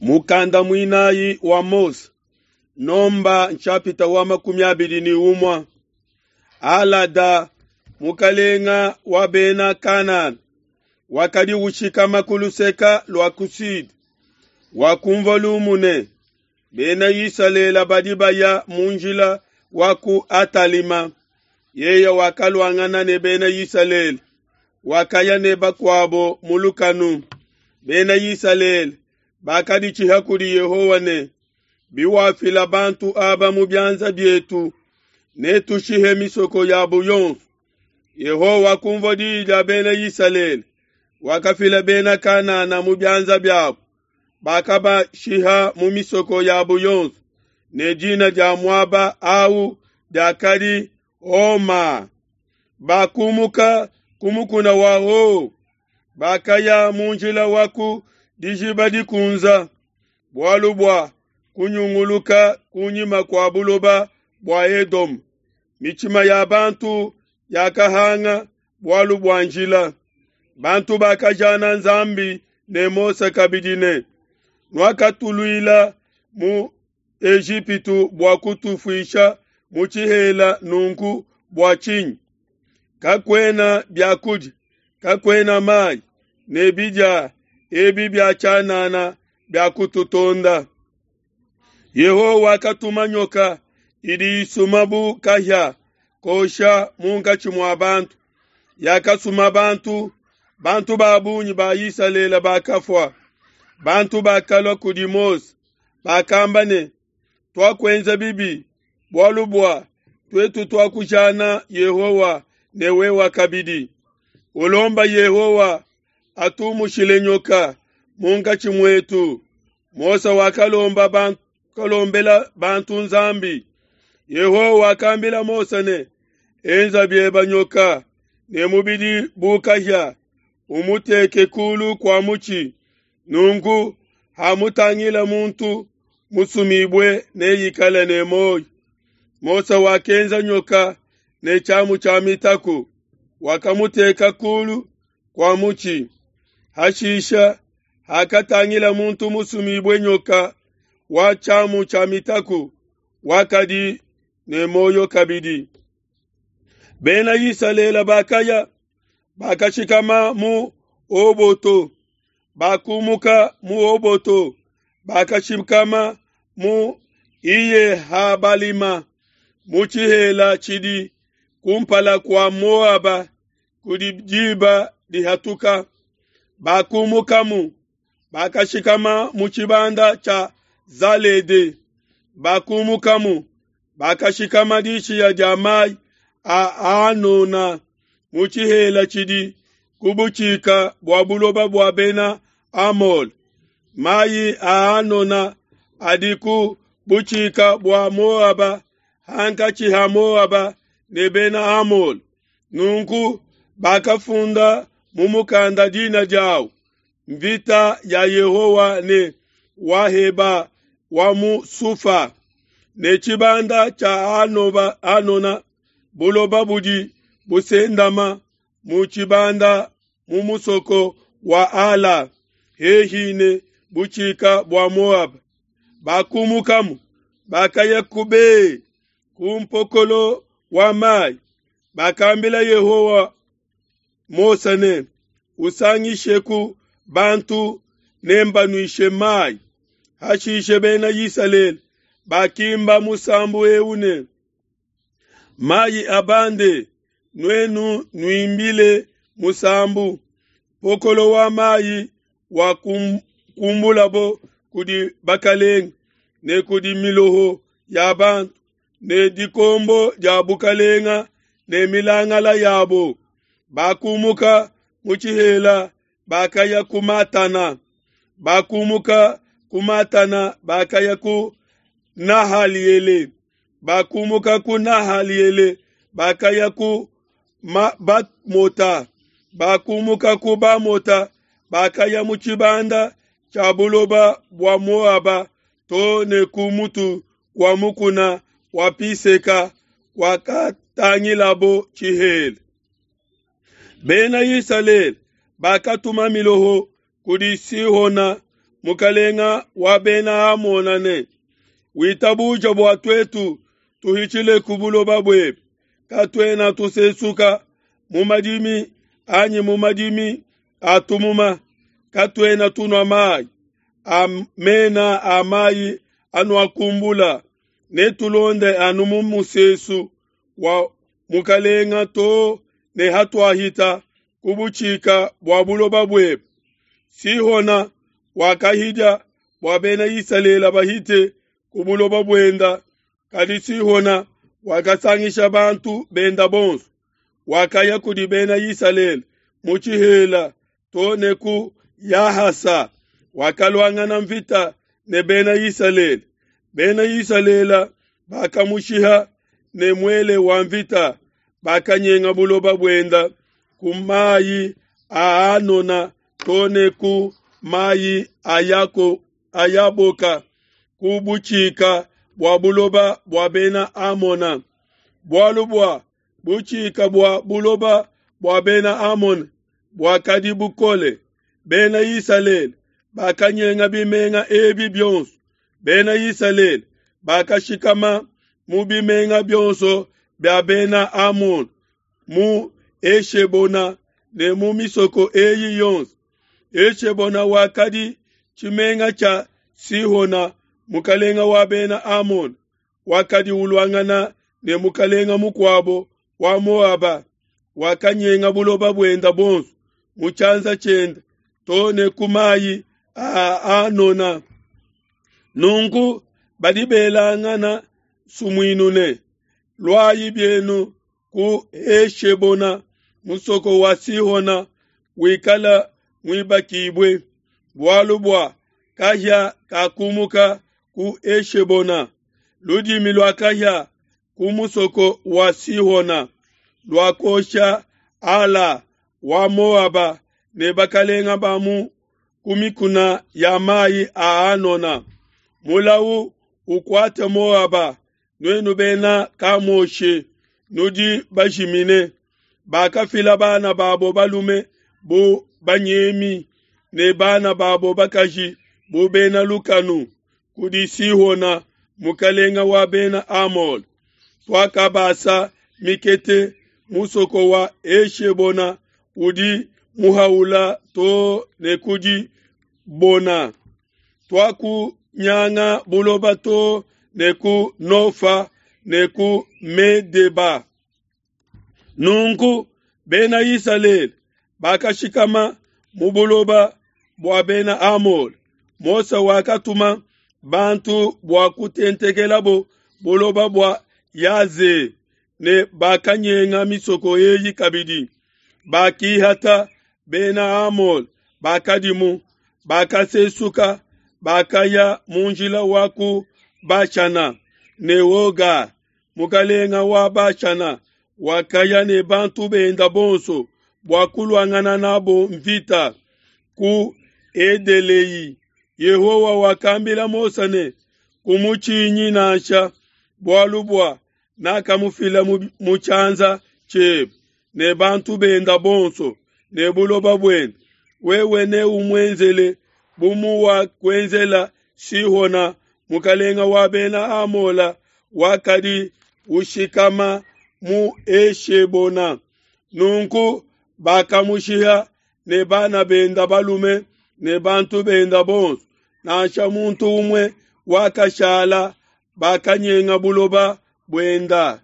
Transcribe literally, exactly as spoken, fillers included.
Mukanda muinayi wa Mose, nomba nshapita wa makumi abidi ni umwa. Alada mukalenga wa bena Kanana wakadi ushikama ku luseka lua ku sud, wakumvua lumu ne bena Isalele badi baya mu njila wa ku Atalima. Yeye wakaluangana ne bena Isalele, wakaya ne bakuabo mu lukanu. Bena Isalele bakaditshiha kudi Yehowa ne, biwafila bantu aba mu bianza bietu, netushihe misoko yabo yonso. Yehowa wakumvua diyi dia bena Isalele, wakafila bena Kanana mu bianza biabo, bakabashiha mu misoko yabo yonso, ne dina dia muaba awu diakadi Homa. Bakumuka ku mukuna wa Ho, bakaya mu njila wa ku dijiba dikunza, bualu bua kunyunguluka kunyima kua buloba bua Edome. Mitshima ya bantu yakahanga bualu bua njila. Bantu bakajana Nzambi ne Mose kabidi ne, nuakatuluila mu Ejipitu bua kutufuisha mu tshihela nunku bua tshinyi? Kakuena biakudia, kakuena mayi, ne bidia ebi bia tshianana biakututonda. Yehowa wakatuma nyoka idi isuma bu kahia kosha munkatshi mua bantu, yakasuma bantu, bantu ba bungi ba Isalele bakafua. Bantu bakalua kudi Mose, bakamba ne, tuakuenza bibi, bualu bua tuetu tuakujana Yehowa ne wewe kabidi. Ulomba Yehowa atumushile nyoka munkatshi muetu. Mose wakalomba bantu, kalombela bantu Nzambi. Yehowa wakambila Mose ne, enza bieba nyoka ne mubidi bu kahia, umuteke kulu kua mutshi, nunku hamutangila muntu musumibue neikale ne muoyo. Mose wakenza nyoka ne tshiamu tshia mitaku, wakamuteka kulu kua mutshi. Hashisha hakatangila muntu musumibue nyoka wa tshiamu tshia mitaku, wakadi ne muoyo kabidi. Bena Isalele bakaya bakashikama mu Oboto, bakumuka mu Oboto, bakashikama mu Iye-Habalima, mu tshihela tshidi kumpala kua Moaba kudi diba dihatuka. Bakumukamu, bakashikama mu tshibanda tshia Zalede. Bakumukamu, bakashikama dishiya dia mayi a Anona mu tshihela tshidi ku butshika bua buloba bua bena Amole. Mayi a Anona adi ku butshika bua Moaba, hankatshi ha Moaba ne bena Amole. Nunku bakafunda mu mukanda dina diawu, mvita ya Yehowa ne Waheba wa mu Sufa, ne tshibanda tshia Anoba, Anona, buloba budi busendama mu tshibanda mu musoko wa Ala, hehi ne butshika bua Moaba. Bakumukamu, bakaya ku Be, ku mpokolo wa mayi. Bakambila Yehowa Mose ne, usangisheku bantu nembanuishe mayi. Hashishe bena Isalele bakimba musambu eu ne, mayi abande, nuenu nuimbile musambu. Mpokolo wa mayi wa kumbulabo kudi bakalenga ne kudi miloho ya bantu ne dikombo dia bukalenga ne milangala yabo. Bakumuka mu tshihela bakaya ku Matana, bakumuka ku Matana bakaya ku Nahaliele, bakumuka ku Nahaliele bakaya ku Bamota, bakumuka ku Bamota bakaya mu tshibanda tshia buloba bua Moaba to ne ku mutu wa mukuna wa Piseka wakatangilabo tshihela. Bena Isalele bakatuma miloho kudi Sihona mukalenga wa bena Amona ne, witabuja bua tuetu tuhitshile ku buloba buebe, katuena tusesuka mu madimi anyi mu madimi a tumuma, katuena tunua mayi a mena a mayi anuakumbula, netulonde anu mu musesu wa mukalenga too ne hatuahita ku butshika bua buloba buebe. Sihona wakahidia bua bena Isalele bahite ku buloba buenda, kadi Sihona wakasangisha bantu benda bonso, wakaya kudi bena Isalele mu tshihela too ne ku Yahasa, wakaluangana mvita ne bena Isalele. Bena Isalele bakamushiha ne muele wa mvita, bakanyenga buloba buenda ku mayi a Anona too ne ku mayi a Yako a Yaboka, ku butshika bua buloba bua bena Amona. Bualu bua butshika bua buloba bua bena Amona buakadi bukole, bena Isalele bakanyenga bimenga ebi bionso. Bena Isalele bakashikama mu bimenga bionso bia bena Amona, mu Eshebona ne mu misoko eyi yonso. Eshebona wakadi tshimenga tshia Sihona mukalenga wa bena Amona, wakadi uluangana ne mukalenga mukuabo wa Moaba, wakanyenga buloba buenda bonso mu tshianza tshiende too ne ku mayi a Anona. Nunku badi belangana sumuinu ne, luayi bienu ku Eshebona, musoko wa Sihona wikala muibakibue, bualu bua kahia kakumuka ku Eshebona, ludimi lua kahia ku musoko wa Sihona luakosha Ala wa Moaba ne bakalenga ba mu ku mikuna ya mayi a Anona. Mulawu ukuate Moaba, nuenu bena Kamoshe, nudi bajimine. Bakafila bana babo balume bu banyemi ne bana babo bakaji bu bena lukanu kudi Sihona mukalenga wa bena Amole. Tuakabasa mikete musoko wa Eshebona udi muhaula too ne kudi Bona. Tuakunyanga buloba too ne ku Nofa ne ku Medeba. Nunku bena Isalele bakashikama mu buloba bua bena Amole. Mose wakatuma bantu bua kutentekelabo buloba bua Yaze ne bakanyenga misoko eyi kabidi. Bakihata bena Amole bakadimu, bakasesuka, bakaya mu njila wa ku Bashana ne Oga, mukalenga wa Bashana, wakaya ne bantu benda bonso bua kuluangana nabo mvita ku Edelei. Yehowa wakambila Mose ne, kumutshinyi nansha, bualu bua nakamufila mu tshianza tshiebe ne bantu benda bonso ne buloba buende. Wewe neumuenzele bu muwakuenzela Sihona mukalenga wa bena Amola wakadi ushikama mu Eshebona. Nunku bakamushiha ne bana benda balume ne bantu benda bonso, nansha muntu umue wakashala, bakanyenga buloba buenda.